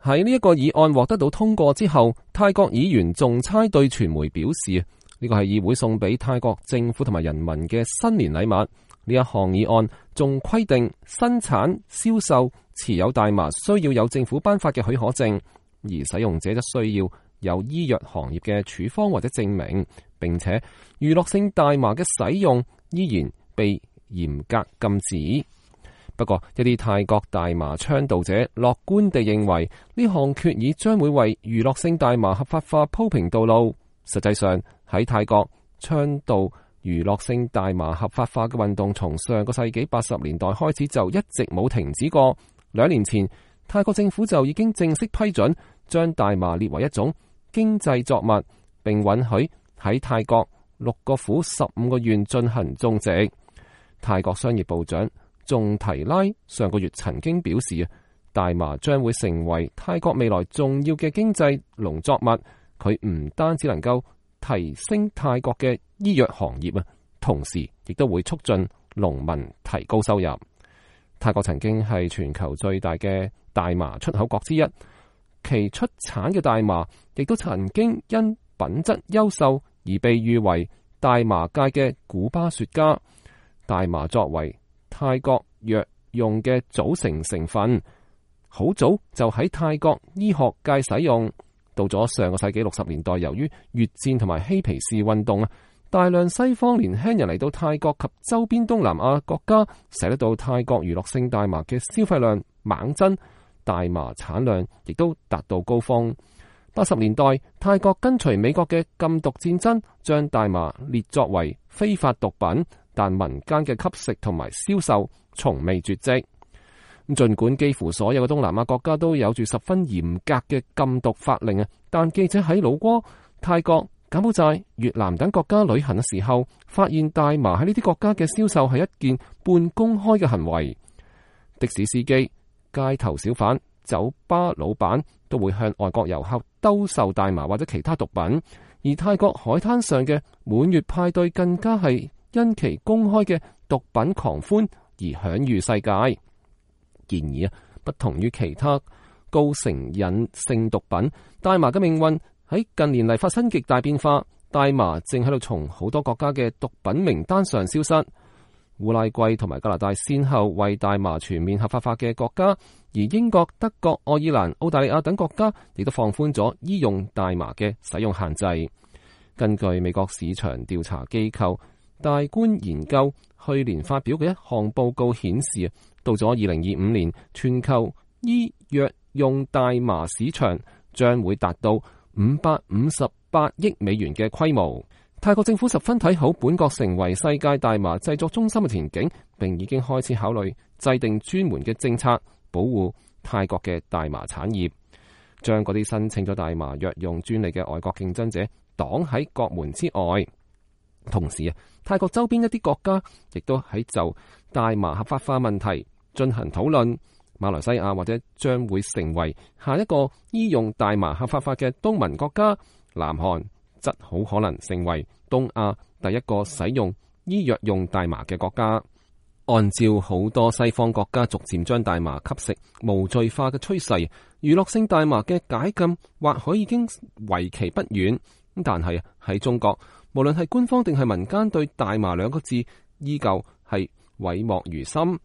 喺呢一個議案獲得到通過之後，泰國議員仲差對傳媒表示，呢個係議會送俾泰國政府同埋人民嘅新年禮物。呢一項議案仲規定生產、銷售、持有大麻需要有政府頒發嘅許可證，而使用者則需要有醫藥行業嘅處方或者證明，並且娛樂性大麻嘅使用依然被嚴格禁止。不過，一啲泰國大麻倡導者樂觀地認為，呢項決議將會為娛樂性大麻合法化鋪平道路。實際上，喺泰國倡導娛樂性大麻合法化嘅運動，從上個世紀80年代開始就一直冇停止過。2年前，泰國政府就已經正式批准將大麻列為一種經濟作物，並允許喺泰國6個府15個縣進行種植。泰國商業部長仲提拉上個月曾經表示，大麻將會成為泰國未來重要嘅經濟農作物。佢唔單止能夠提升泰國嘅醫藥行業啊，同時亦都會促進農民提高收入。泰國曾經係全球最大嘅大麻出口國之一，其出產嘅大麻亦都曾經因品質優秀而被譽為大麻界嘅古巴雪茄。大麻作為泰國藥用嘅組成成分，好早就喺泰國醫學界使用。到咗上個世紀60年代，由於越戰同埋嬉皮士運動啊，大量西方年輕人嚟到泰國及周邊東南亞國家，使得到泰國娛樂性大麻嘅消費量猛增，大麻產量亦都達到高峰。80年代，泰國跟隨美國嘅禁毒戰爭，將大麻列作為非法毒品，但民間嘅吸食同埋銷售從未絕跡。儘管幾乎所有嘅東南亞國家都有住十分嚴格嘅禁毒法令啊，但記者喺老撾、泰國、柬埔寨、越南等國家旅行嘅時候，發現大麻喺呢啲國家嘅銷售係一件半公開嘅行為。的士司機、街頭小販、酒吧老闆都會向外國遊客兜售大麻或者其他毒品，而泰國海灘上嘅滿月派對更加係因其公開嘅毒品狂歡而享譽世界。然而不同於其他高成癮性毒品，大麻嘅命運喺近年嚟發生極大變化。大麻正喺度從好多國家嘅毒品名單上消失。烏拉圭同埋加拿大先後為大麻全面合法化嘅國家，而英國、德國、愛爾蘭、澳大利亞等國家亦都放寬咗醫用大麻嘅使用限制。根據美國市場調查機構大觀研究去年發表嘅一項報告顯示，到咗2025年，全球醫藥用大麻市場將會達到558億美元嘅規模。泰國政府十分睇好本國成為世界大麻製作中心嘅前景，並已經開始考慮制定專門嘅政策保護泰國嘅大麻產業，將嗰啲申請咗大麻藥用專利嘅外國競爭者擋喺國門之外。同時啊，泰國周邊一啲國家亦都喺就大麻合法化問題進行討論。馬來西亞或者將會成為下一個醫用大麻合法化嘅東盟國家，南韓則好可能成為東亞第一個使用醫藥用大麻嘅國家。按照好多西方國家逐漸將大麻吸食無罪化嘅趨勢，娛樂性大麻嘅解禁或許已經為期不遠。但係喺中國，無論係官方定係民間，對大麻兩個字依舊係諱莫如深。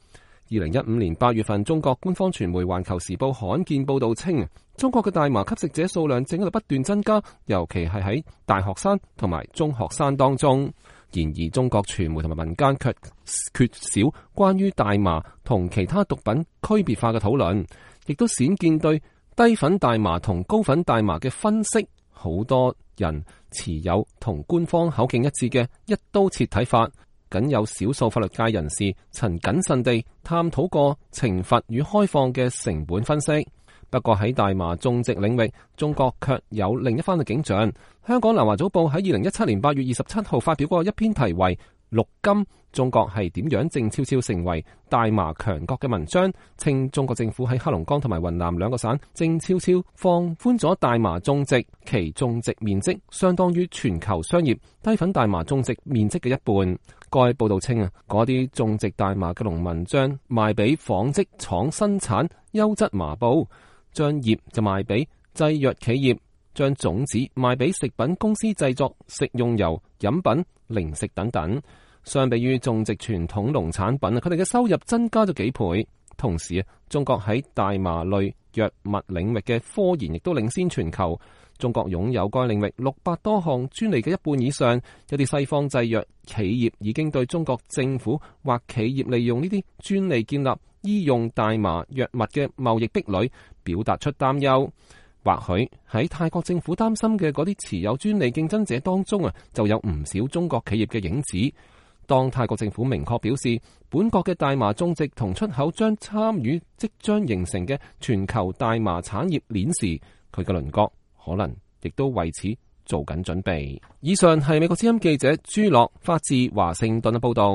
2015年8月份，中國官方傳媒《環球時報》罕見報道稱，中國嘅大麻吸食者數量正喺度不斷增加，尤其係喺大學生同埋中學生當中。然而，中國傳媒同埋民間卻缺少關於大麻同其他毒品區別化嘅討論，亦都鮮見對低粉大麻同高粉大麻嘅分析。好多人持有同官方口徑一致嘅一刀切睇法。僅有少數法律界人士曾謹慎地探討過懲罰與開放嘅成本分析。不過喺大麻種植領域，中國卻有另一番嘅景象。香港南華早報喺2017年8月27號發表過一篇題為《綠金：中國係點樣靜悄悄成為大麻強國》嘅文章，稱中國政府喺黑龍江同埋雲南兩個省靜悄悄放寬咗大麻種植，其種植面積相當於全球商業低粉大麻種植面積嘅一半。該報道稱嗰啲種植大麻嘅農民將賣俾紡織廠生產優質麻布，將葉就賣俾製藥企業，將種子賣俾食品公司製作食用油、飲品、零食等等。相比於種植傳統農產品，佢哋嘅收入增加咗幾倍。同時中國喺大麻類藥物領域嘅科研亦都領先全球。中國擁有該領域600多項專利嘅一半以上。有啲西方製藥企業已經對中國政府或企業利用呢啲專利建立醫用大麻藥物嘅貿易壁壘表達出擔憂。或許喺泰國政府擔心嘅嗰啲持有專利競爭者當中就有唔少中國企業嘅影子。當泰國政府明確表示本國嘅大麻種植同出口將參與即將形成嘅全球大麻產業鏈時，佢嘅鄰國可能亦都為此做緊準備。以上係美國之音記者朱樂發自華盛頓嘅報道。